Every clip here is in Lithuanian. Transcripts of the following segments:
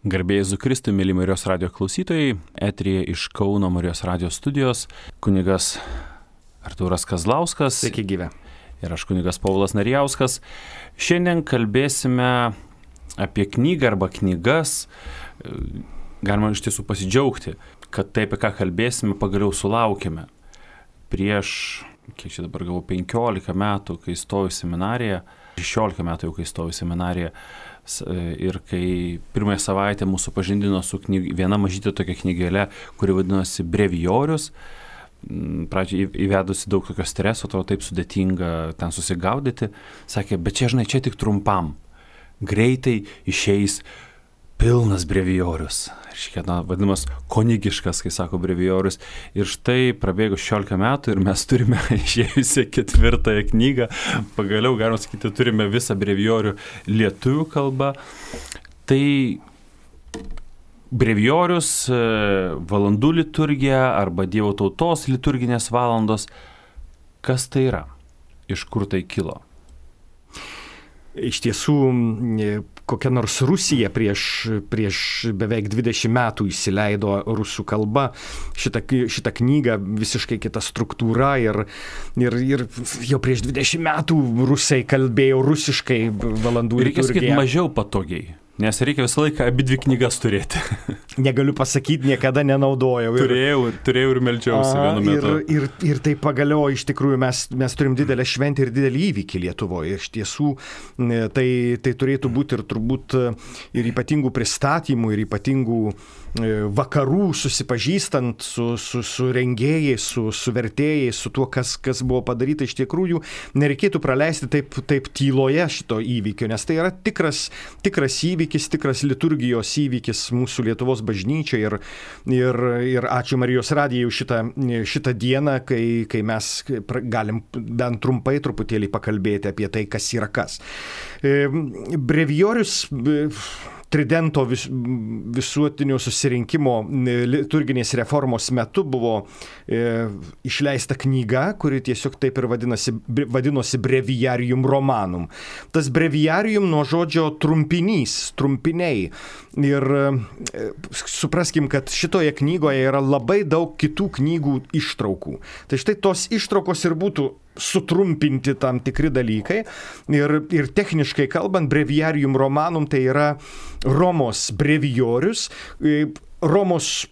Garbėjai Jėzui Kristui, mėly Marijos radijo klausytojai, eteryje iš Kauno Marijos radijo studijos kunigas Artūras Kazlauskas. Sveiki gyvi. Ir aš kunigas Povilas Narijauskas. Šiandien kalbėsime apie knygą arba knygas. Galima iš tiesų pasidžiaugti, kad tai, apie ką kalbėsime, pagaliau sulaukėme. Prieš, kiek čia dabar gavau, 15 metų, kai stojau į seminariją, 16 metų jau, kai stojau į seminariją, ir kai pirmąją savaitę mūsų pažindino su viena mažytė tokia knygėlė, kuri vadinosi Brevijorius. Pradžiai įvedusi daug tokio streso, atrodo taip sudėtinga ten susigaudyti. Sakė, bet čia, žinai, čia tik trumpam. Greitai išeis pilnas brevijorius. Škiet, vadinamas konigiškas, kai sako brevijorius. Ir štai prabėgo 16 metų ir mes turime išėjusią 4 knygą. Pagaliau, galima sakyti, turime visą brevijorių lietuvių kalbą. Tai brevijorius, valandų liturgija arba Dievo tautos liturginės valandos. Kas tai yra? Iš kur tai kilo? Iš tiesų, kokia nors Rusija prieš beveik 20 metų įsileido rusų kalba šitą knygą, visiškai kita struktūra ir jau prieš 20 metų rusai kalbėjo rusiškai valandų liturgiją. Reikia sakyti mažiau patogiai. Nes reikia visą laiką abidvi knygas turėti. Negaliu pasakyti, niekada nenaudojau. Turėjau ir meldžiausi vienu metu. Ir tai pagaliau iš tikrųjų mes turim didelę šventę ir didelį įvykį Lietuvoje. Iš tiesų tai turėtų būti ir turbūt ir ypatingų pristatymų, ir ypatingų vakarų susipažįstant su rengėjais, su vertėjais, su tuo, kas buvo padaryta. Iš tikrųjų nereikėtų praleisti taip tyloje šito įvykio, nes tai yra tikras įvykis, tikras liturgijos įvykis mūsų Lietuvos bažnyčiai ir ačiū Marijos radijai už šitą dieną, kai mes galim bent trumpai truputėlį pakalbėti apie tai, kas yra kas. Brevijorius Tridento visuotinio susirinkimo liturginės reformos metu buvo išleista knyga, kuri tiesiog taip ir vadinosi Breviarium Romanum. Tas Breviarium nuo žodžio trumpiniai. Ir supraskim, kad šitoje knygoje yra labai daug kitų knygų ištraukų. Tai štai tos ištraukos ir būtų sutrumpinti tam tikri dalykai ir techniškai kalbant, Breviarium Romanum tai yra Romos brevijorius, Romos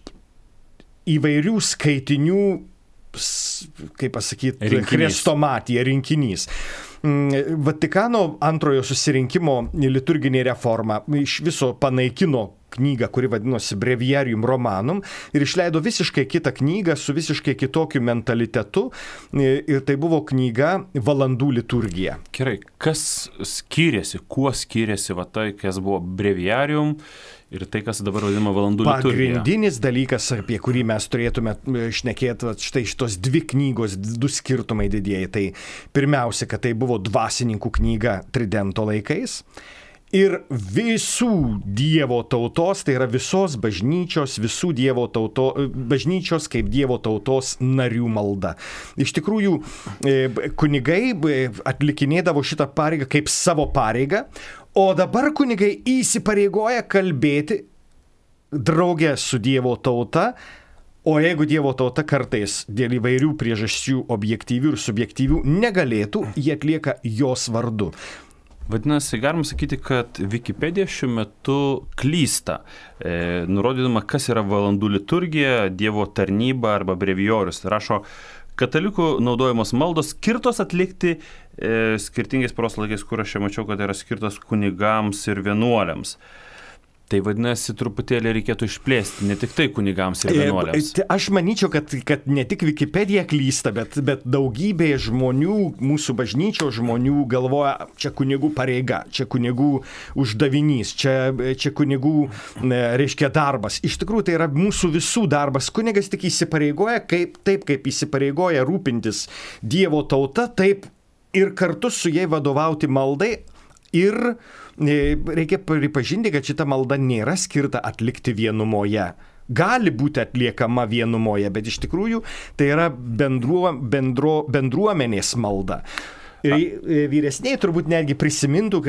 įvairių skaitinių, kaip pasakyti, chrestomatija, rinkinys. Vatikano antrojo susirinkimo liturginė reforma iš viso panaikino knygą, kuri vadinosi Breviarium Romanum ir išleido visiškai kitą knygą su visiškai kitokiu mentalitetu ir tai buvo knyga Valandų liturgija. Gerai, kas skiriasi, kuo skiriasi tai, kas buvo Breviarium ir tai, kas dabar vadinama Valandų liturgija? Pagrindinis dalykas, apie kurį mes turėtume šnekėti, štai šitos 2 knygos, 2 skirtumai didieji. Tai pirmiausia, kad tai buvo dvasininkų knyga Tridento laikais. Ir visų Dievo tautos, tai yra visos bažnyčios, bažnyčios kaip Dievo tautos narių malda. Iš tikrųjų, kunigai atlikinėdavo šitą pareigą kaip savo pareigą, o dabar kunigai įsipareigoja kalbėti draugę su Dievo tauta. O jeigu Dievo tauta kartais dėl įvairių priežasčių objektyvių ir subjektyvių negalėtų, jie atlieka jos vardu. Vadinasi, galim sakyti, kad Wikipedija šiuo metu klysta, nurodydama, kas yra valandų liturgija, Dievo tarnyba arba brevijorius. Tai rašo, katalikų naudojamos maldos skirtos atlikti skirtingais paros laikais, kur aš čia mačiau, kad yra skirtos kunigams ir vienuoliams. Tai vadinasi, truputėlį reikėtų išplėsti, ne tik tai kunigams ir vienuoliams. Aš manyčiau, kad ne tik Wikipedija klysta, bet daugybė žmonių, mūsų bažnyčios žmonių galvoja, čia kunigų pareiga, čia kunigų uždavinys, čia kunigų, reiškia, darbas. Iš tikrųjų, tai yra mūsų visų darbas. Kunigas tik įsipareigoja, kaip įsipareigoja rūpintis Dievo tauta, taip ir kartu su jai vadovauti maldai. Ir reikia pripažinti, kad šita malda nėra skirta atlikti vienumoje. Gali būti atliekama vienumoje, bet iš tikrųjų tai yra bendruomenės malda. Ir vyresniai turbūt netgi prisimintų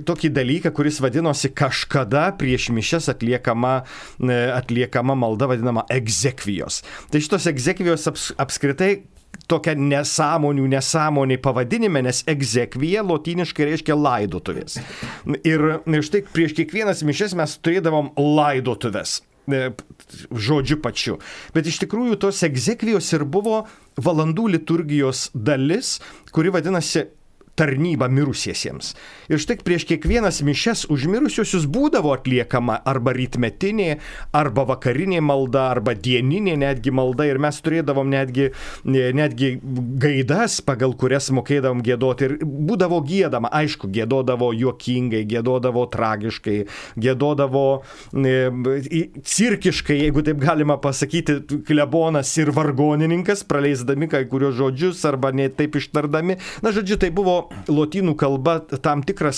tokį dalyką, kuris vadinosi kažkada prieš mišias atliekama malda vadinama egzekvijos. Tai šitos egzekvijos apskritai tokia nesąmonė pavadinime, nes egzekvija lotyniškai reiškia laidotuvės. Ir štai prieš kiekvienas mišias mes turėdavom laidotuvės. Žodžiu pačiu. Bet iš tikrųjų tos egzekvijos ir buvo valandų liturgijos dalis, kuri vadinasi tarnyba mirusiesiems. Ir štai prieš kiekvienas mišias už mirusiuosius būdavo atliekama arba rytmetinė, arba vakarinė malda, arba dieninė netgi malda. Ir mes turėdavom netgi gaidas, pagal kurias mokėdavom giedoti. Ir būdavo giedama, aišku, giedodavo juokingai, giedodavo tragiškai, giedodavo cirkiškai, jeigu taip galima pasakyti, klebonas ir vargonininkas, praleisdami kai kurios žodžius arba ne taip ištardami. Na, žodžiu, tai buvo lotynų kalba tam tikra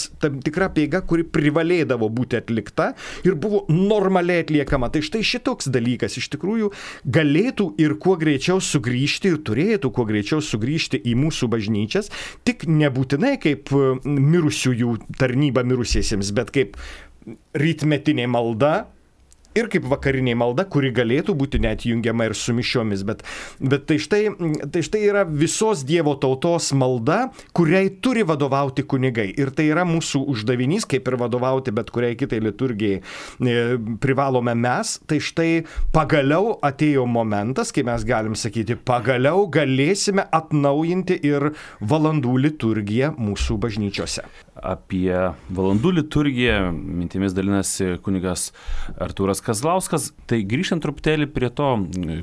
apeiga, kuri privalėdavo būti atlikta ir buvo normaliai atliekama. Tai štai šitoks dalykas iš tikrųjų galėtų ir kuo greičiau sugrįžti ir turėtų kuo greičiau sugrįžti į mūsų bažnyčias, tik nebūtinai kaip mirusiųjų tarnyba mirusiesiems, bet kaip rytmetinė malda, ir kaip vakarinė malda, kuri galėtų būti net jungiama ir su mišiomis. Bet tai štai yra visos Dievo tautos malda, kuriai turi vadovauti kunigai. Ir tai yra mūsų uždavinys, kaip ir vadovauti bet kuriai kitai liturgijai privalome mes. Tai štai pagaliau atėjo momentas, kai mes galim sakyti, pagaliau galėsime atnaujinti ir valandų liturgiją mūsų bažnyčiose. Apie valandų liturgiją mintimis dalinasi kunigas Artūras Kazlauskas. Tai grįžtant truputėlį prie to,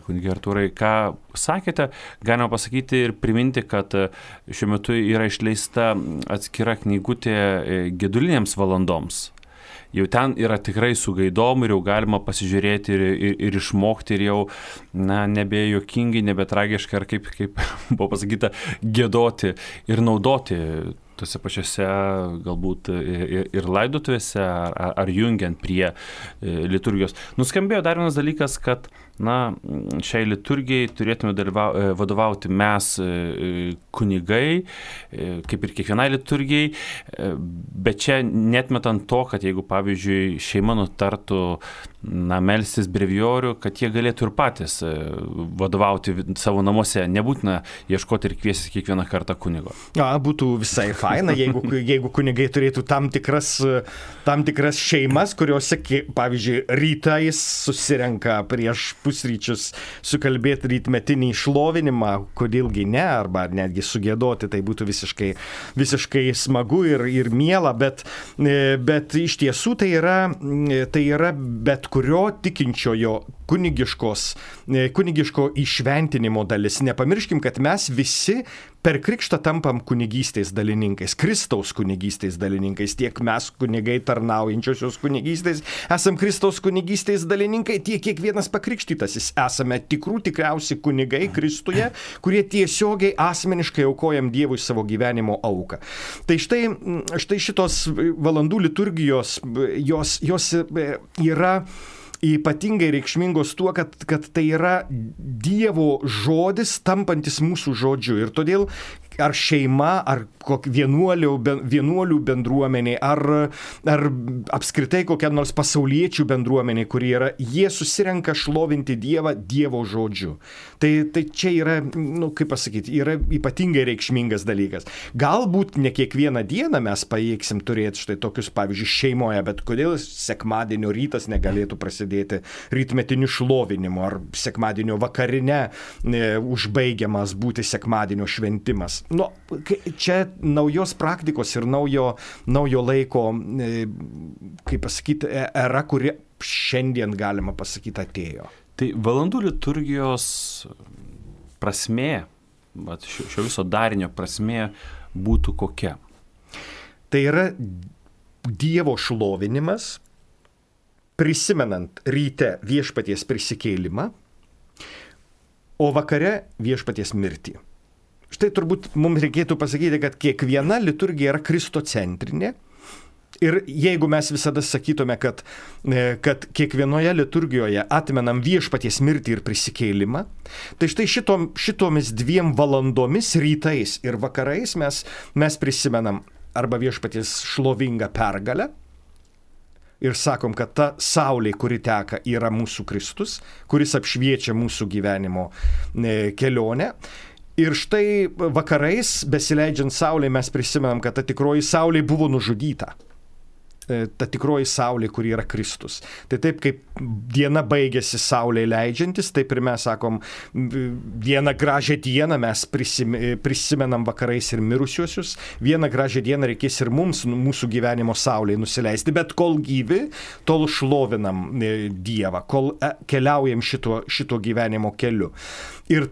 kunigai Artūrai, ką sakėte, galima pasakyti ir priminti, kad šiuo metu yra išleista atskira knygutė gedulinėms valandoms. Jau ten yra tikrai su gaidom ir jau galima pasižiūrėti ir išmokti ir jau nebe juokingai, nebe tragiškai, ar kaip buvo pasakyta, giedoti ir naudoti tose pačiose galbūt ir laidotuvėse ar jungiant prie liturgijos. Nuskambėjo dar vienas dalykas, kad šiai liturgijai turėtume vadovauti mes kunigai, kaip ir kiekvienai liturgijai, bet čia netmetant to, kad jeigu pavyzdžiui šeima nutartų melstis brevijorių, kad jie galėtų ir patys vadovauti savo namuose, nebūtina ieškoti ir kviesti kiekvieną kartą kunigo. Būtų visai faina, jeigu kunigai turėtų tam tikras šeimas, kuriuose, pavyzdžiui, rytais susirenka prieš pusryčius sukalbėti rytmetinį šlovinimą, kodėlgi ne, arba netgi sugiedoti, tai būtų visiškai smagu ir miela, bet iš tiesų tai yra bet kurio tikinčiojo kunigiško įšventinimo dalis. Nepamirškim, kad mes visi per krikštą tampam kunigystės dalininkais, Kristaus kunigystės dalininkais. Tiek mes kunigai tarnaujančiosios kunigystės esam Kristaus kunigystės dalininkai, tiek kiekvienas pakrikštytasis esame tikriausi kunigai Kristuje, kurie tiesiogiai asmeniškai aukojam Dievui savo gyvenimo auką. Tai štai šitos valandų liturgijos, jos yra ypatingai reikšmingos tuo, kad tai yra Dievo žodis tampantis mūsų žodžiu. Ir todėl ar šeima, ar vienuolių bendruomenė, ar apskritai kokia nors pasauliečių bendruomenė, kurie yra, jie susirenka šlovinti Dievą Dievo žodžiu. Tai čia yra, kaip pasakyti, yra ypatingai reikšmingas dalykas. Galbūt ne kiekvieną dieną mes pajėgsim turėti štai tokius, pavyzdžiui, šeimoje, bet kodėl sekmadienio rytas negalėtų prasidėti rytmetiniu šlovinimu, ar sekmadienio vakarine užbaigiamas būti sekmadienio šventimas. Čia naujos praktikos ir naujo laiko, kaip pasakyti, era, kuri šiandien, galima pasakyti, atėjo. Tai valandų liturgijos prasmė, šio viso darinio prasmė būtų kokia? Tai yra Dievo šlovinimas, prisimenant ryte viešpaties prisikėlimą, o vakare viešpaties mirtį. Štai turbūt mums reikėtų pasakyti, kad kiekviena liturgija yra kristocentrinė Ir jeigu mes visada sakytume, kad kiekvienoje liturgijoje atmenam viešpaties mirtį ir prisikėlimą, tai štai šitomis 2 valandomis, rytais ir vakarais mes prisimenam arba viešpaties šlovingą pergalę ir sakom, kad ta saulė, kuri teka, yra mūsų Kristus, kuris apšviečia mūsų gyvenimo kelionę. Ir štai vakarais, besileidžiant saulė, mes prisimenam, kad ta tikroji saulė buvo nužudyta. Ta tikroji saulė, kuri yra Kristus. Tai taip kaip diena baigėsi saulė leidžiantis, taip ir mes sakom, vieną gražią dieną mes prisimenam vakarais ir mirusiuosius, vieną gražią dieną reikės ir mums, mūsų gyvenimo saulėje nusileisti, bet kol gyvi, tol šlovinam Dievą, kol keliaujam šito gyvenimo keliu. Ir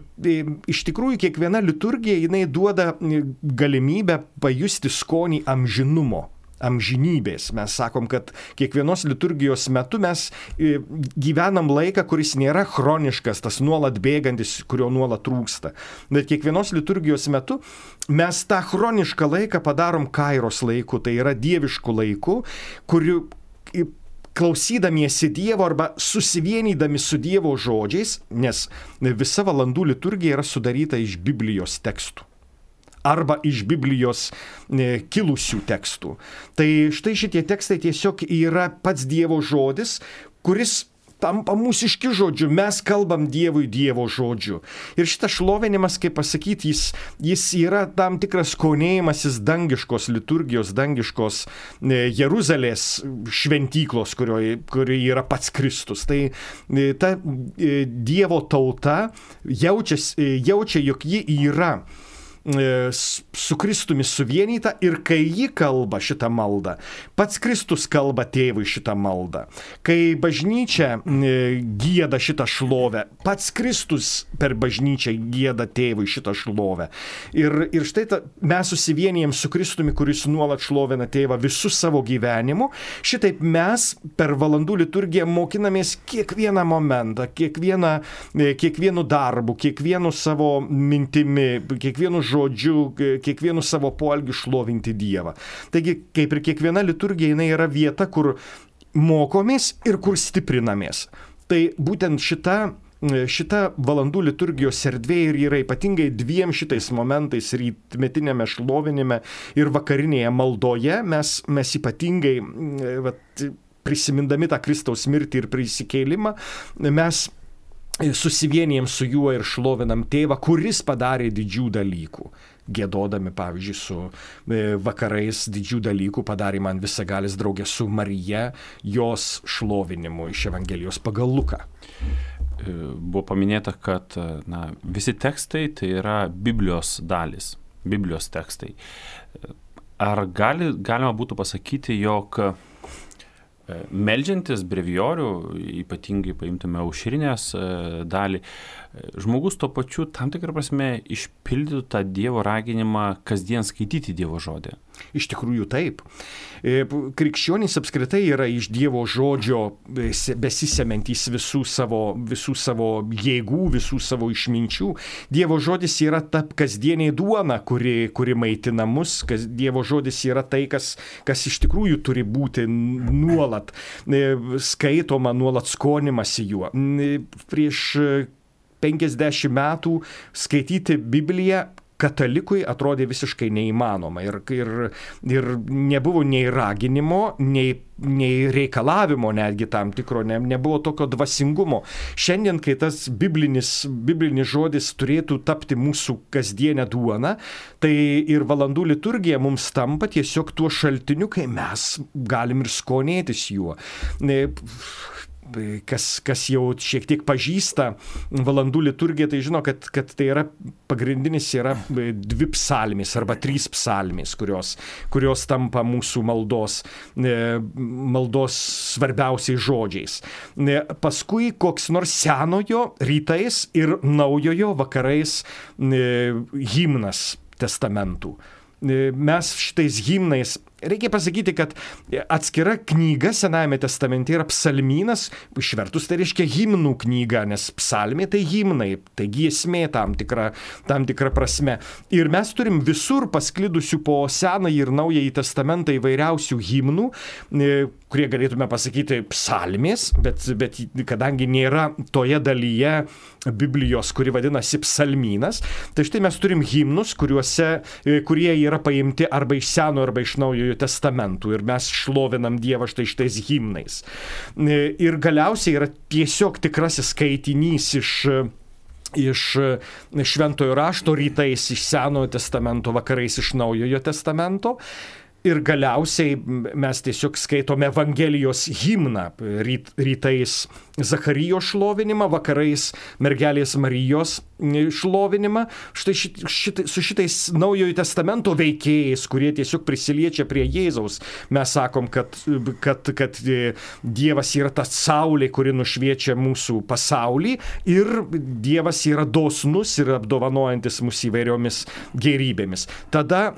iš tikrųjų kiekviena liturgija, jinai duoda galimybę pajusti skonį amžinumo. Amžinybės. Mes sakom, kad kiekvienos liturgijos metu mes gyvenam laiką, kuris nėra chroniškas, tas nuolat bėgantis, kurio nuolat trūksta. Bet kiekvienos liturgijos metu mes tą chronišką laiką padarom kairos laiku, tai yra dievišku laiku, kuriuo klausydamiesi Dievo arba susivienydami su Dievo žodžiais, nes visa valandų liturgija yra sudaryta iš Biblijos tekstų. Arba iš Biblijos kilusių tekstų. Tai štai šitie tekstai tiesiog yra pats Dievo žodis, kuris tampa mūsiški žodžiu. Mes kalbam Dievui Dievo žodžiu. Ir šitas šlovinimas, kaip pasakyti, jis yra tam tikras skonėjimasis dangiškos liturgijos, dangiškos Jeruzalės šventyklos, kurioje yra pats Kristus. Tai ta Dievo tauta jaučia, jog ji yra su Kristumi suvienyta ir kai ji kalba šitą maldą, pats Kristus kalba tėvui šitą maldą. Kai bažnyčia gieda šitą šlovę, pats Kristus per bažnyčią gieda tėvui šitą šlovę. Ir štai mes susivienijam su Kristumi, kuris nuolat šlovina tėvą visų savo gyvenimu. Šitaip mes per valandų liturgiją mokinamės kiekvieną momentą, kiekvienu darbu, kiekvienu savo mintimi, kiekvienu žodžiu, kiekvienu savo poelgiu šlovinti Dievą. Taigi, kaip ir kiekviena liturgija, jinai yra vieta, kur mokomės ir kur stiprinamės. Tai būtent šita valandų liturgijos erdvė ir yra ypatingai 2 šitais momentais, rytmetinėme šlovinime ir vakarinėje maldoje, mes ypatingai prisimindami tą Kristaus mirtį ir prisikėlimą, mes susivienijam su juo ir šlovinam tėvą, kuris padarė didžių dalykų. Giedodami, pavyzdžiui, su vakarais didžių dalykų padarė man visagalis draugė su Marija, jos šlovinimu iš Evangelijos pagal Luką. Buvo paminėta, kad visi tekstai tai yra Biblijos dalis, Biblijos tekstai. Ar galima būtų pasakyti, jog meldžiantis brevijorių, ypatingai paimtume aušrinės dalį, žmogus tuo pačiu tam tikrą prasme išpildytų tą Dievo raginimą kasdien skaityti Dievo žodį. Iš tikrųjų taip. Krikščionys apskritai yra iš Dievo žodžio besisemiantys visų savo jėgų, visų savo išminčių. Dievo žodis yra ta kasdienė duona, kuri maitina mus. Dievo žodis yra tai, kas iš tikrųjų turi būti nuolat skaitoma, nuolat skonimasi juo. Prieš 50 metų skaityti Bibliją katalikui atrodė visiškai neįmanoma ir nebuvo nei raginimo, nei reikalavimo netgi tam tikro, nebuvo tokio dvasingumo. Šiandien, kai tas biblinis žodis turėtų tapti mūsų kasdienę duoną, tai ir valandų liturgija mums tampa tiesiog tuo šaltiniu, kai mes galim ir skonėtis juo. Kas jau šiek tiek pažįsta valandų liturgiją, tai žino, kad tai yra pagrindinis yra 2 psalmės arba 3 psalmės, kurios tampa mūsų maldos svarbiausiais žodžiais. Paskui koks nors senojo rytais ir naujojo vakarais himnas testamentų. Mes šitais himnais Reikia pasakyti, kad atskira knyga Senajame testamente yra psalmynas, išvertus tai reiškia himnų knyga, nes psalmė tai himnai, tai giesmė tam tikra prasme. Ir mes turim visur pasklidusių po Senąjį ir Naująjį testamentą įvairiausių himnų, kurie galėtume pasakyti psalmės, bet kadangi nėra toje dalyje Biblijos, kuri vadinasi psalmynas, tai štai mes turim himnus, kurie yra paimti arba iš Seno, arba iš Naujojo testamentų ir mes šlovinam Dievą štai šitais himnais. Ir galiausiai yra tiesiog tikrasis skaitinys iš šventojo rašto, rytais iš Senojo testamento, vakarais iš Naujojo testamento. Ir galiausiai mes tiesiog skaitome Evangelijos himną, rytais Zacharijo šlovinimą, vakarais mergelės Marijos šlovinimą. Štai su šitais Naujojo testamento veikėjais, kurie tiesiog prisiliečia prie Jėzaus, mes sakom, kad Dievas yra ta saulė, kuri nušviečia mūsų pasaulį, ir Dievas yra dosnus ir apdovanojantis mūsų įvairiomis gerybėmis. Tada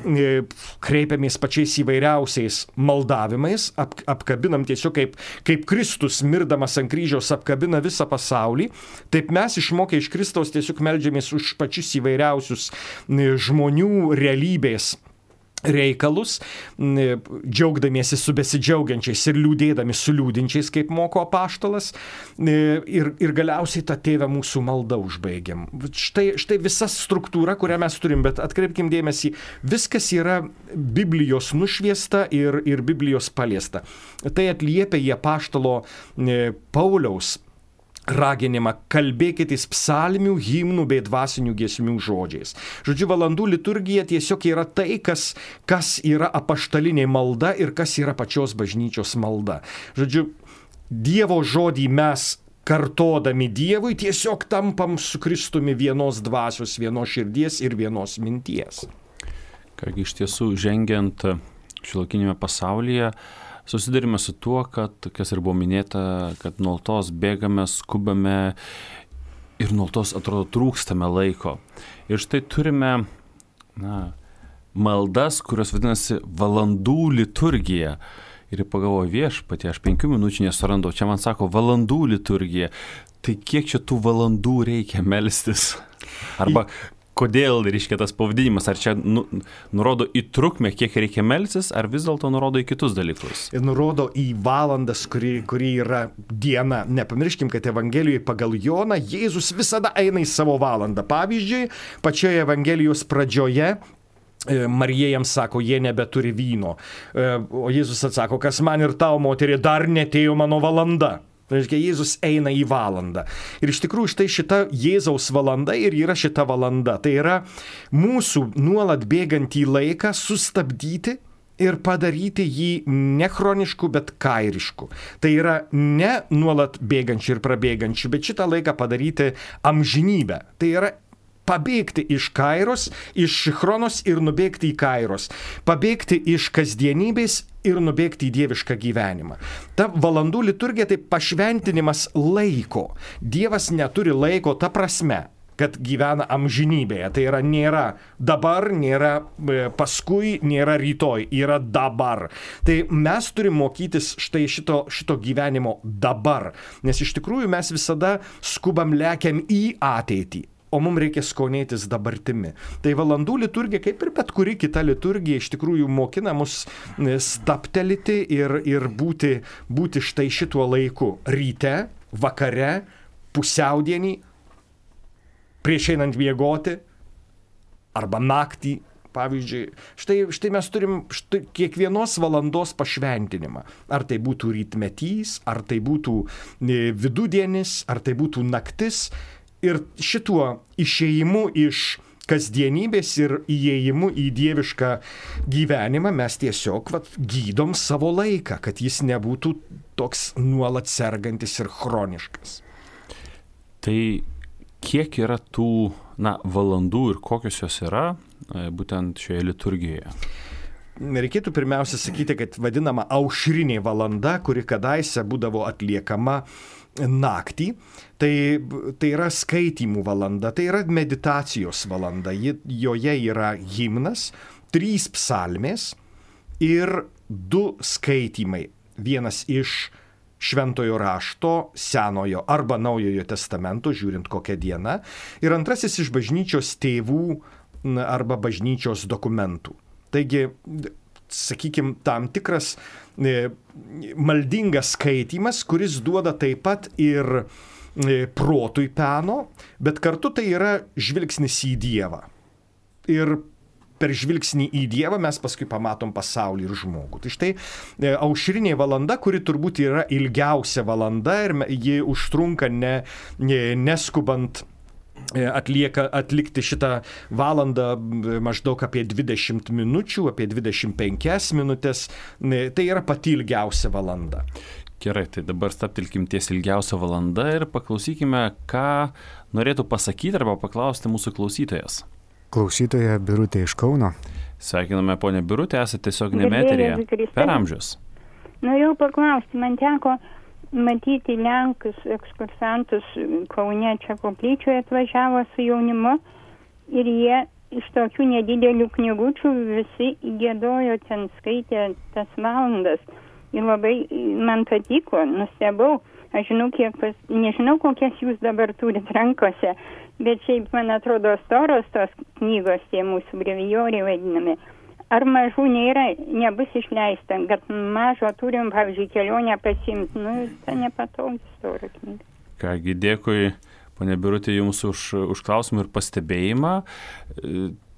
kreipiamės pačiais įvairiausiais maldavimais, apkabinam tiesiog kaip Kristus mirdamas ant kryžiaus apkabina visą pasaulį, taip mes išmokę iš Kristaus tiesiog meldžiamės už pačius įvairiausius žmonių realybės reikalus, džiaugdamiesi su besidžiaugiančiais ir liūdėdami su liūdinčiais, kaip moko apaštalas, ir galiausiai tą Tėvę mūsų maldą užbaigiam. Štai visa struktūra, kurią mes turim, bet atkreipkim dėmesį, viskas yra Biblijos nušviesta ir Biblijos paliesta. Tai atliepia į apaštalo Pauliaus raginimą: kalbėkitės psalmių, himnų bei dvasinių giesmių žodžiais. Žodžiu, valandų liturgija tiesiog yra tai, kas yra apaštalinė malda ir kas yra pačios bažnyčios malda. Žodžiu, Dievo žodį mes kartodami Dievui tiesiog tampam su Kristumi vienos dvasios, vienos širdies ir vienos minties. Kągi, iš tiesų, žengiant šiuolaikinėme pasaulyje, susidurime su tuo, kad, kas ir buvo minėta, kad nuolatos bėgame, skubame ir nuolatos atrodo trūkstame laiko. Ir štai turime maldas, kurios vadinasi valandų liturgija. Ir pagalvoju, Viešpatie, aš 5 minučių nesurandau, čia man sako valandų liturgija. Tai kiek čia tų valandų reikia melstis? Arba kodėl, reiškia, tas pavadinimas, ar čia nurodo į trukmę, kiek reikia melstis, ar vis dėlto nurodo į kitus dalykus? Ir nurodo į valandas, kuri yra diena. Nepamirškim, kad Evangelijoje pagal Joną Jėzus visada eina į savo valandą. Pavyzdžiui, pačioje Evangelijos pradžioje Marija jam sako, jie nebeturi vyno. O Jėzus atsako, kas man ir tau, moterį, dar netėjo mano valanda. Tai reiškia, Jėzus eina į valandą. Ir iš tikrųjų štai šita Jėzaus valanda ir yra šita valanda. Tai yra mūsų nuolat bėgantį laiką sustabdyti ir padaryti jį ne chronišku, bet kairišku. Tai yra ne nuolat bėgančių ir prabėgančių, bet šitą laiką padaryti amžinybę. Tai yra pabėgti iš kairos, iš chronos ir nubėgti į kairos. Pabėgti iš kasdienybės ir nubėgti į dievišką gyvenimą. Ta valandų liturgija tai pašventinimas laiko. Dievas neturi laiko ta prasme, kad gyvena amžinybėje. Tai yra nėra dabar, nėra paskui, nėra rytoj, yra dabar. Tai mes turim mokytis štai šito gyvenimo dabar. Nes iš tikrųjų mes visada skubam lekiam į ateitį. O mums reikia skonėtis dabartimi. Tai valandų liturgija, kaip ir bet kuri kita liturgija, iš tikrųjų mokina mus stabtelėti ir būti štai šituo laiku. Ryte, vakare, pusiaudienį, prieš einant miegoti, arba naktį, pavyzdžiui. Štai mes turim kiekvienos valandos pašventinimą. Ar tai būtų rytmetys, ar tai būtų vidudienis, ar tai būtų naktis. Ir šituo išėjimu iš kasdienybės ir įėjimu į dievišką gyvenimą mes tiesiog gydom savo laiką, kad jis nebūtų toks nuolat sergantis ir chroniškas. Tai kiek yra tų valandų ir kokios jos yra būtent šioje liturgijoje? Reikėtų pirmiausia sakyti, kad vadinama aušrinė valanda, kuri kadaise būdavo atliekama naktį, tai yra skaitymų valanda, tai yra meditacijos valanda. Joje yra himnas, 3 psalmės ir 2 skaitymai. Vienas iš Šventojo rašto, Senojo arba Naujojo testamento, žiūrint kokią dieną, ir antrasis iš bažnyčios tėvų arba bažnyčios dokumentų. Taigi, sakykime, tam tikras maldingas skaitymas, kuris duoda taip pat ir protui peno, bet kartu tai yra žvilgsnis į Dievą. Ir per žvilgsnį į Dievą mes paskui pamatom pasaulį ir žmogų. Tai štai aušrinė valanda, kuri turbūt yra ilgiausia valanda ir ji užtrunka neskubant atlikti šitą valandą maždaug apie 20 minučių, apie 25 minutės. Tai yra pati ilgiausia valanda. Gerai, tai dabar stabtelkim ties ilgiausia valanda ir paklausykime, ką norėtų pasakyti arba paklausti mūsų klausytojas. Klausytoja Birutė iš Kauno. Sveikiname, ponė Birutė, esate tiesiog eteryje per amžius. Norėjau paklausti, man teko matyti Lenkus ekskursantus Kaune čia koplyčioje atvažiavo su jaunimu ir jie iš tokių nedidelių knygučių visi giedojo, ten skaitė tas valandas ir labai man patiko, nustebau. Aš žinau, nežinau, kokias jūs dabar turit rankose, bet šiaip, man atrodo, storos tos knygos, tie mūsų brevijoriai vadinami. Ar mažų nebus išleista, kad mažo turim, pavyzdžiui, kelionę pasimti, ta nepatogi stora knyga. Kągi, dėkui, ponė Birutė, jums už klausimą ir pastebėjimą.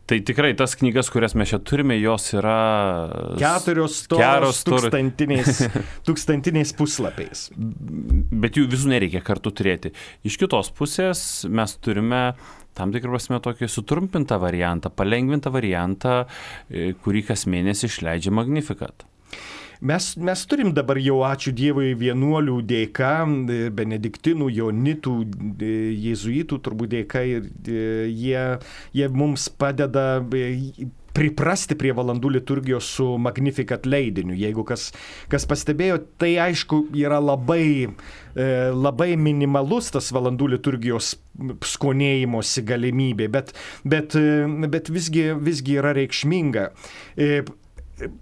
Tai tikrai tas knygas, kurias mes čia turime, jos yra 4 storos tūkstantiniais puslapiais. Bet jų visų nereikia kartu turėti. Iš kitos pusės mes turime tam tikrą prasme tokį sutrumpintą variantą, palengvintą variantą, kurį kas mėnesį išleidžia Magnificat. Mes turim dabar jau, ačiū Dievui, vienuolių dėka, benediktinų, jonitų, jėzuitų turbūt dėka, ir jie mums padeda priprasti prie valandų liturgijos su Magnificat leidiniu. Jeigu kas pastebėjo, tai aišku yra labai minimalus tas valandų liturgijos skonėjimosi galimybė, bet visgi yra reikšminga.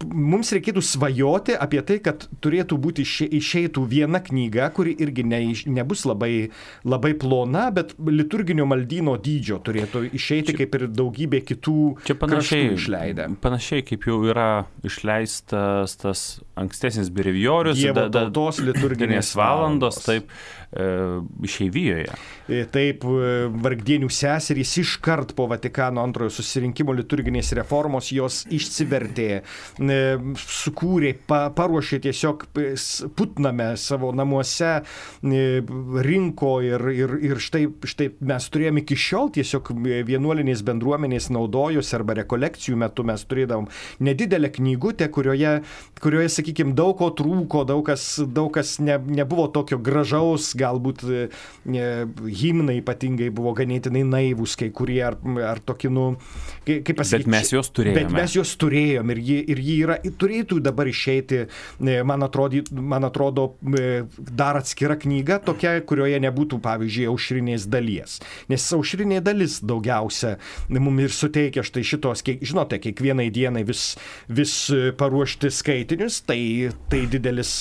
Mums reikėtų svajoti apie tai, kad turėtų būti išeitų viena knyga, kuri irgi nebus labai plona, bet liturginio maldyno dydžio turėtų išeiti kaip ir daugybė kitų kraštų išleidę. Panašiai kaip jau yra išleistas tas ankstesnis brevijorius, Dievo tautos liturginės valandos, taip, išeivijoje. Taip, vargdienių seserys iškart po Vatikano antrojo susirinkimo liturginės reformos jos išsivertė, sukūrė, paruošė tiesiog Putname savo namuose, rinko ir štai mes turėjome iki šiol tiesiog vienuolinės bendruomenės naudojosi arba rekolekcijų metu mes turėdavom nedidelę knygutę, kurioje sakykime, daug ko trūko, daug kas nebuvo tokio gražaus, galbūt himnai ypatingai buvo ganėtinai naivūs, kai kurie ar tokie, kaip pasakyti. Bet mes juos turėjome. Bet mes juos turėjom ir jį turėtų dabar išeiti, man atrodo, dar atskira knyga tokia, kurioje nebūtų, pavyzdžiui, aušrinės dalies. Nes aušrinė dalis daugiausia mums ir suteikia štai šitos, žinote, kiekvienai dienai vis paruošti skaitinius, tai didelis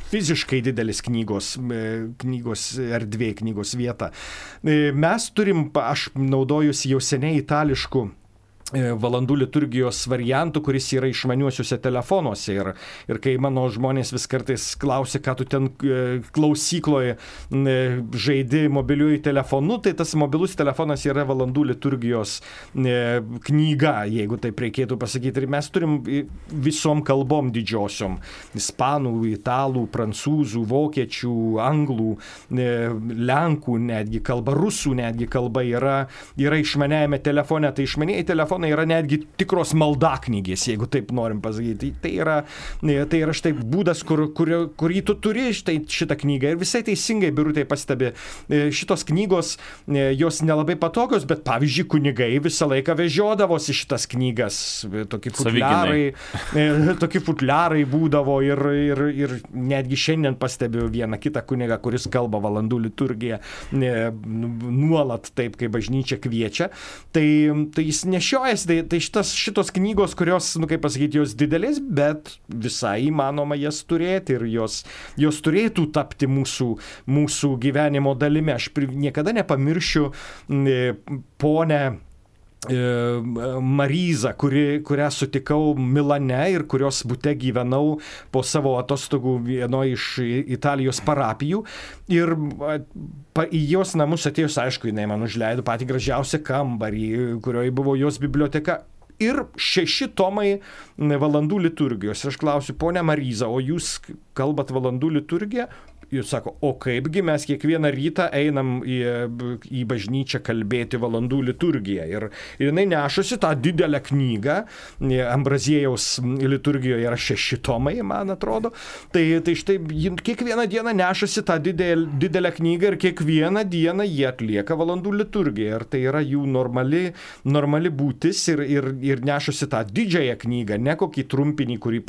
fiziškai didelis knygos erdvė, knygos vieta. Mes turim, aš naudojusi jau seniai itališkų valandų liturgijos variantų, kuris yra išmaniuosiuose telefonuose. Ir kai mano žmonės vis kartais klausia, ką tu ten klausykloje žaidi mobiliuoju telefonu, tai tas mobilus telefonas yra valandų liturgijos knyga, jeigu taip reikėtų pasakyti. Ir mes turim visom kalbom didžiosiom. Ispanų, italų, prancūzų, vokiečių, anglų, lenkų netgi kalba, rusų netgi kalba yra išmaniajame telefone. Tai išmanieji telefonai yra netgi tikros maldaknygės, jeigu taip norim pasakyti. Tai yra štai būdas, kurį tu turi šitą knygą. Ir visai teisingai Birutė pastebi, šitos knygos, jos nelabai patogios, bet pavyzdžiui, kunigai visą laiką vežiodavosi šitas knygas. Tokie futliarai būdavo ir netgi šiandien pastebiu vieną kitą kunigą, kuris kalba valandų liturgiją nuolat taip, kaip bažnyčia kviečia. Tai jis nešioja nešiojasi, tai šitos knygos, kurios, kaip pasakyti, jos didelės, bet visai įmanoma jas turėti ir jos turėtų tapti mūsų gyvenimo dalimi. Aš niekada nepamiršiu ponę Maryzą, kurią sutikau Milane ir kurios bute gyvenau po savo atostogų vienoje iš Italijos parapijų. Ir į jos namus atėjus, aišku, jinai man užleido patį gražiausią kambarį, kurioje buvo jos biblioteka. Ir 6 tomai valandų liturgijos. Ir aš klausiu, ponia Maryza, o jūs kalbat valandų liturgiją? Jūs sako, o kaipgi mes kiekvieną rytą einam į bažnyčią kalbėti valandų liturgiją. Ir jinai nešosi tą didelę knygą, Ambraziejaus liturgijoje yra 6 tomai, man atrodo. Tai štai kiekvieną dieną nešosi tą didelę knygą ir kiekvieną dieną jie atlieka valandų liturgiją. Ir tai yra jų normali būtis ir nešosi tą didžiąją knygą, ne kokį trumpinį, kurį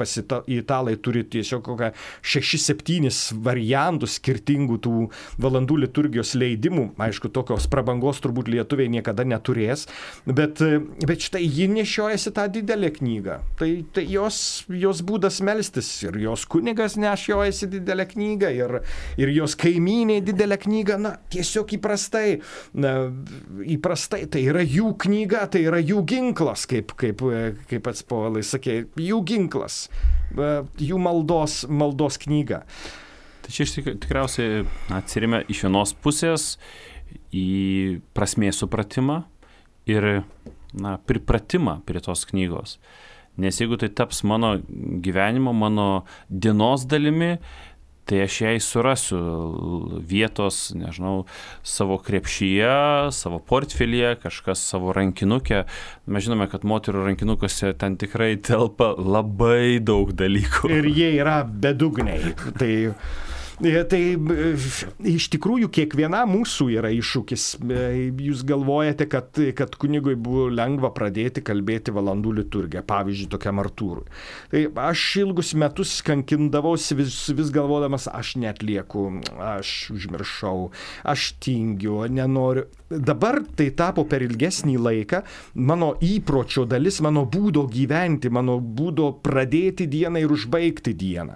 italai turi tiesiog kokią 6-7 variantų skirtingų tų valandų liturgijos leidimų. Aišku, tokios prabangos turbūt lietuviai niekada neturės, bet štai ji nešiojasi tą didelę knygą. Tai jos būdas melstis ir jos kunigas nešiojasi didelę knygą ir jos kaimynė didelę knygą, tiesiog įprastai tai yra jų knyga, tai yra jų ginklas, kaip pats Povilai sakė, jų ginklas, jų maldos knyga. Tai čia tikriausiai atsiremia iš vienos pusės į prasmės supratimą ir pripratimą prie tos knygos. Nes jeigu tai taps mano gyvenimo, mano dienos dalimi, tai aš jai surasiu vietos, nežinau, savo krepšyje, savo portfelyje, kažkas savo rankinuke. Mes žinome, kad moterų rankinukose ten tikrai telpa labai daug dalykų. Ir jie yra bedugniai. Tai iš tikrųjų kiekviena mūsų yra iššūkis. Jūs galvojate, kad kunigui buvo lengva pradėti kalbėti valandų liturgiją, pavyzdžiui, tokiam Artūrui. Tai aš ilgus metus kankindavausi vis galvodamas, aš neatlieku, aš užmiršau, aš tingiu, nenoriu. Dabar tai tapo per ilgesnį laiką mano įpročio dalis, mano būdo gyventi, mano būdo pradėti dieną ir užbaigti dieną.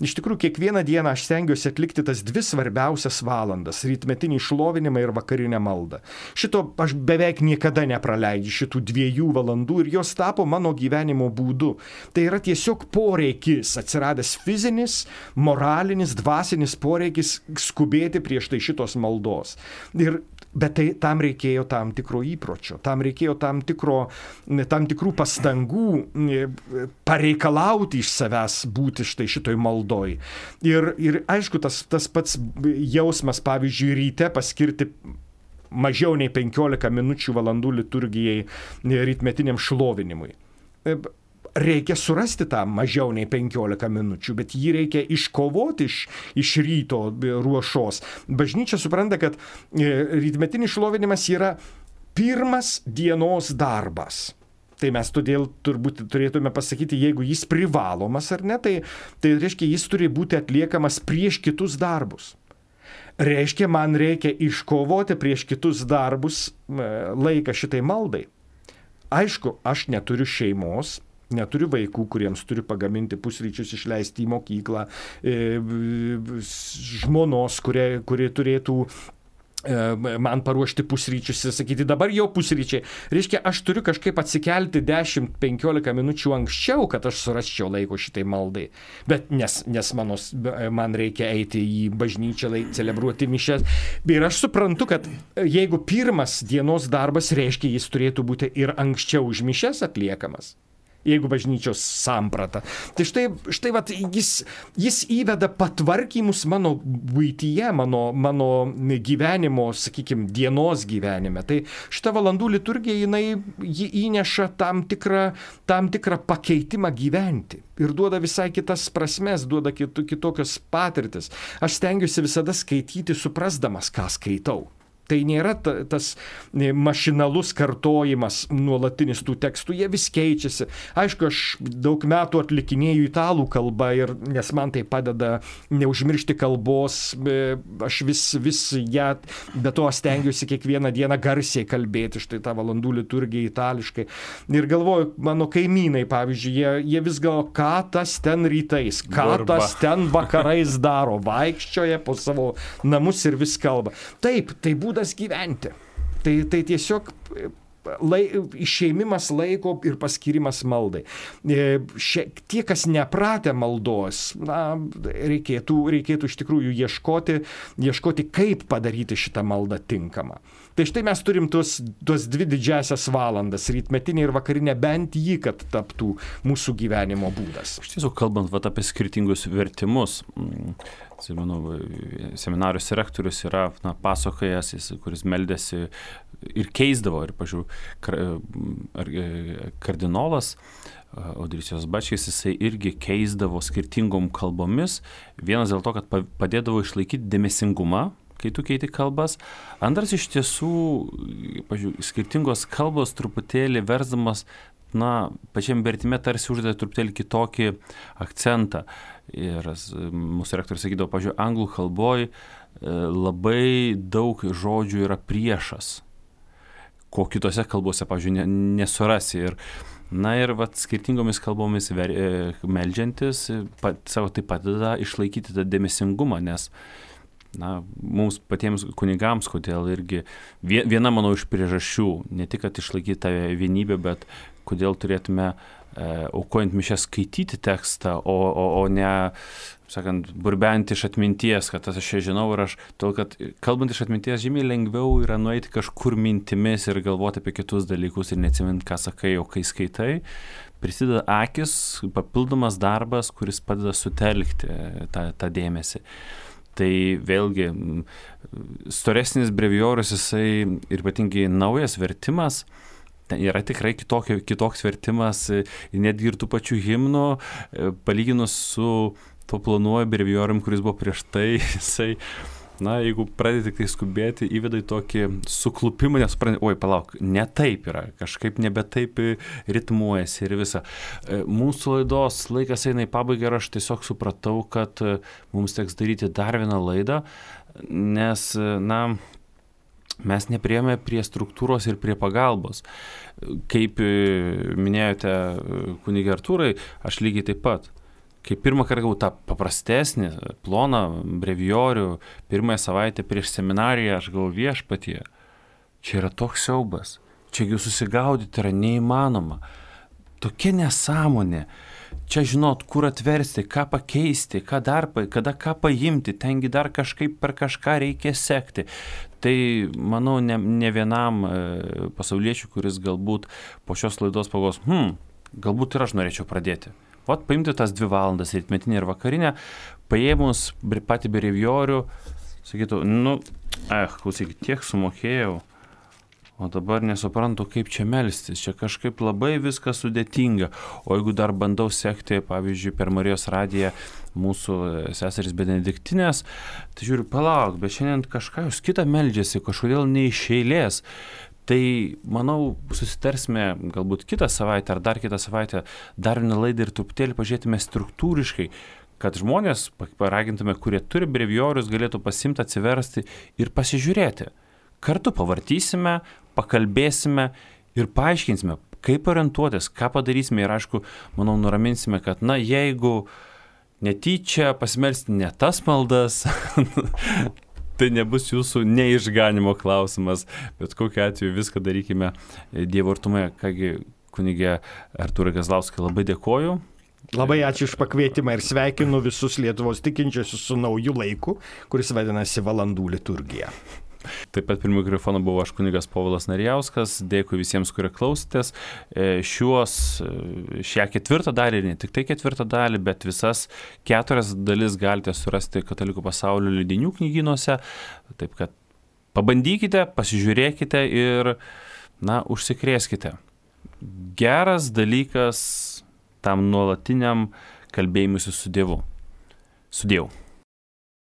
Iš tikrųjų, kiekvieną dieną aš stengiuosi atlikti tas 2 svarbiausias valandas - rytmetinį šlovinimą ir vakarinę maldą. Šito aš beveik niekada nepraleidžiu, šitų 2 valandų, ir jos tapo mano gyvenimo būdu. Tai yra tiesiog poreikis, atsiradęs fizinis, moralinis, dvasinis poreikis skubėti prieš tai šitos maldos. Bet tam reikėjo tam tikro įpročio, tam reikėjo tam tikrų pastangų pareikalauti iš savęs būti štai šitoj maldoj. Ir aišku, tas pats jausmas, pavyzdžiui, ryte paskirti mažiau nei 15 minučių valandų liturgijai rytmetiniam šlovinimui. Reikia surasti tą mažiau nei 15 minučių, bet jį reikia iškovoti iš ryto ruošos. Bažnyčia supranta, kad rytmetinis šlovinimas yra pirmas dienos darbas. Tai mes todėl turbūt turėtume pasakyti, jeigu jis privalomas ar ne, tai reiškia, jis turi būti atliekamas prieš kitus darbus. Reiškia, man reikia iškovoti prieš kitus darbus laiką šitai maldai. Aišku, aš neturiu šeimos, neturiu vaikų, kuriems turiu pagaminti pusryčius, išleisti į mokyklą, žmonos, kuri turėtų man paruošti pusryčius ir sakyti, dabar jau pusryčiai. Reiškia, aš turiu kažkaip atsikelti 10-15 minučių anksčiau, kad aš surasčiau laiko šitai maldai. Bet nes man reikia eiti į bažnyčią, celebruoti mišias. Ir aš suprantu, kad jeigu pirmas dienos darbas, reiškia, jis turėtų būti ir anksčiau už mišias atliekamas. Jeigu bažnyčios samprata. Tai štai vat, jis įveda patvarkymus mano buityje, mano gyvenimo, sakykime, dienos gyvenime. Tai šita valandų liturgija, ji įneša tam tikrą pakeitimą gyventi. Ir duoda visai kitas prasmes, duoda kitokias patirtis. Aš stengiuosi visada skaityti, suprasdamas, ką skaitau. Tai nėra tas mašinalus kartojimas nuolatinis tų tekstų, jie vis keičiasi. Aišku, aš daug metų atlikinėju italų kalbą, nes man tai padeda neužmiršti kalbos, aš vis ją, be to stengiuosi kiekvieną dieną garsiai kalbėti, štai tą valandų liturgiją itališkai. Ir galvoju, mano kaimynai, pavyzdžiui, jie vis galvo, ką tas ten rytais, ką tas ten vakarais daro, vaikščioja po savo namus ir vis kalba. Taip, tai būdas gyventi. Tai tiesiog išėmimas laiko ir paskirimas maldai. Tie, kas nepratę maldos, reikėtų iš tikrųjų ieškoti, kaip padaryti šitą maldą tinkamą. Tai štai mes turim tos 2 didžiasias valandas, rytmetinė ir vakarinė, bent jį, kad taptų mūsų gyvenimo būdas. Iš tiesų, kalbant apie skirtingus vertimus, atsimenu, seminarijos rektorius yra pasakojęs, kuris meldėsi ir keisdavo, ir, kardinolas Audrysijos Bačkis, jisai irgi keisdavo skirtingom kalbomis, vienas dėl to, kad padėdavo išlaikyti dėmesingumą, kai tu keiti kalbas, antras iš tiesų, skirtingos kalbos truputėlį versdamas, pačiam vertime tarsi uždeda truputėlį kitokį akcentą. Ir mūsų rektorius sakydavo, anglų kalboj labai daug žodžių yra priešas, ko kitose kalbose, nesurasi. Ir skirtingomis kalbomis meldžiantis savo tai padeda išlaikyti tą dėmesingumą, nes mums patiems kunigams, kodėl irgi viena, manau, iš priežasčių, ne tik, kad išlaikyti tą vienybę, bet kodėl turėtume aukojant mišias skaityti tekstą, o ne, sakant, burbenti iš atminties, kad aš čia žinau ir todėl, kad kalbant iš atminties žymiai lengviau yra nueiti kažkur mintimis ir galvoti apie kitus dalykus ir neatsiminti, ką sakai, o kai skaitai, prisideda akis, papildomas darbas, kuris padeda sutelkti tą dėmesį. Tai vėlgi, storesnis brevijorius, jisai ir ypatingai naujas vertimas, ten yra tikrai kitoks vertimas, netgi ir tų pačių himnų, palyginus su tuo planuoju brevijorium, kuris buvo prieš tai, jisai, jeigu pradedi tik tai skubėti, įveda į tokį suklupimą, nes palauk, ne taip yra, kažkaip nebe taip ritmuojasi ir visa. Mūsų laidos laikas eina į pabaigą ir aš tiesiog supratau, kad mums teks daryti dar vieną laidą, nes, mes nepriėjome prie struktūros ir prie pagalbos. Kaip minėjote, kunige Artūrai, aš lygiai taip pat. Kai pirmą kartą gavau tą paprastesnį, ploną brevijorių, pirmąją savaitę prieš seminariją, aš gavau viešpatie. Čia yra toks siaubas. Čia jų susigaudyti yra neįmanoma. Tokia nesąmonė. Čia žinot, kur atversti, ką pakeisti, kada ką paimti, tengi dar kažkaip per kažką reikia sekti. Tai, manau, ne vienam pasauliečiui, kuris galbūt po šios laidos pagalvos, galbūt ir aš norėčiau pradėti. Paimti tas 2 valandas, rytmetinę ir vakarinę, paėmus patį brevijorių, sakytų, klausykit, tiek sumokėjau, o dabar nesuprantu, kaip čia melstis, čia kažkaip labai viskas sudėtinga. O jeigu dar bandau sekti, pavyzdžiui, per Marijos radiją mūsų seserys benediktinės, tai žiūriu, palauk, bet šiandien kažką jūs kitą meldžiasi, kažkodėl ne iš eilės. Tai, manau, susitarsime galbūt kitą savaitę ar dar kitą savaitę dar vieną laidą ir truputėlį pažiūrėtume struktūriškai, kad žmonės, paragintume, kurie turi brevijorius, galėtų pasimti, atsiversti ir pasižiūrėti. Kartu pavartysime, pakalbėsime ir paaiškinsime, kaip orientuotis, ką padarysime ir, aišku, manau, nuraminsime, kad, jeigu netyčia pasimelsti ne tas maldas, tai nebus jūsų neišganimo klausimas, bet kokiu atveju viską darykime Dievo artumoje. Kągi, kunige Artūrai Kazlauskai, labai dėkoju. Labai ačiū už pakvietimą ir sveikinu visus Lietuvos tikinčiuosius su nauju laiku, kuris vadinasi Valandų liturgija. Taip pat prie mikrofono buvo aš, kunigas Povilas Narijauskas. Dėkui visiems, kurie klausėtės. Šią 4 dalį, ne tik tai 4 dalį, bet visas 4 dalis galite surasti Katalikų pasaulio leidinių knygynuose. Taip kad pabandykite, pasižiūrėkite ir, užsikrėskite. Geras dalykas tam nuolatiniam kalbėjimuisi su Dievu. Su Dievu.